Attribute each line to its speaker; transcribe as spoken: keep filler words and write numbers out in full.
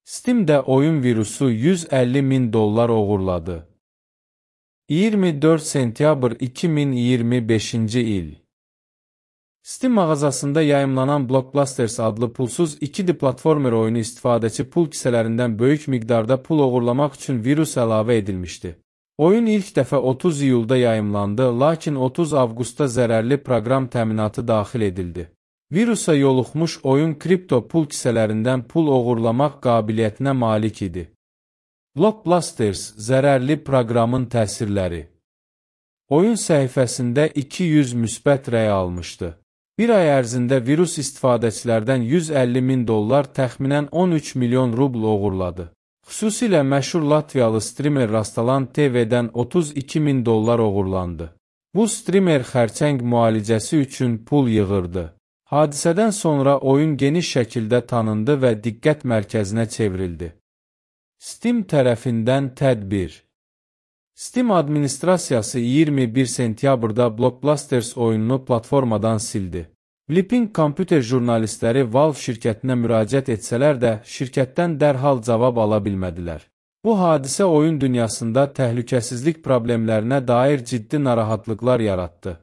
Speaker 1: Steam'də oyun virusu yüz əlli min dollar oğurladı. iyirmi dörd sentyabr iki min iyirmi beşinci il. Steam mağazasında yayımlanan Blockbusters adlı pulsuz iki D platformer oyunu istifadəçi pul kisələrindən böyük miqdarda pul oğurlamaq üçün virus əlavə edilmişdi. Oyun ilk dəfə otuz iyulda yayımlandı, lakin otuz avqustda zərərli proqram təminatı daxil edildi. Virusa yoluxmuş oyun kripto pul kisələrindən pul oğurlamaq qabiliyyətinə malik idi. Blockbusters zərərli proqramın təsirləri. Oyun səhifəsində iki yüz müsbət rəy almışdı. Bir ay ərzində virus istifadəçilərdən yüz əlli min dollar, təxminən on üç milyon rubl oğurladı. Xüsusilə məşhur Latviyalı streamer Rastalan T V-dən otuz iki min dollar oğurlandı. Bu streamer xərçəng müalicəsi üçün pul yığırdı. Hadisədən sonra oyun geniş şəkildə tanındı və diqqət mərkəzinə çevrildi. Steam tərəfindən tədbir. Steam administrasiyası iyirmi bir sentyabrda Blockbusters oyununu platformadan sildi. Blipping kompüter jurnalistləri Valve şirkətinə müraciət etsələr də, şirkətdən dərhal cavab ala bilmədilər. Bu hadisə oyun dünyasında təhlükəsizlik problemlərinə dair ciddi narahatlıqlar yaratdı.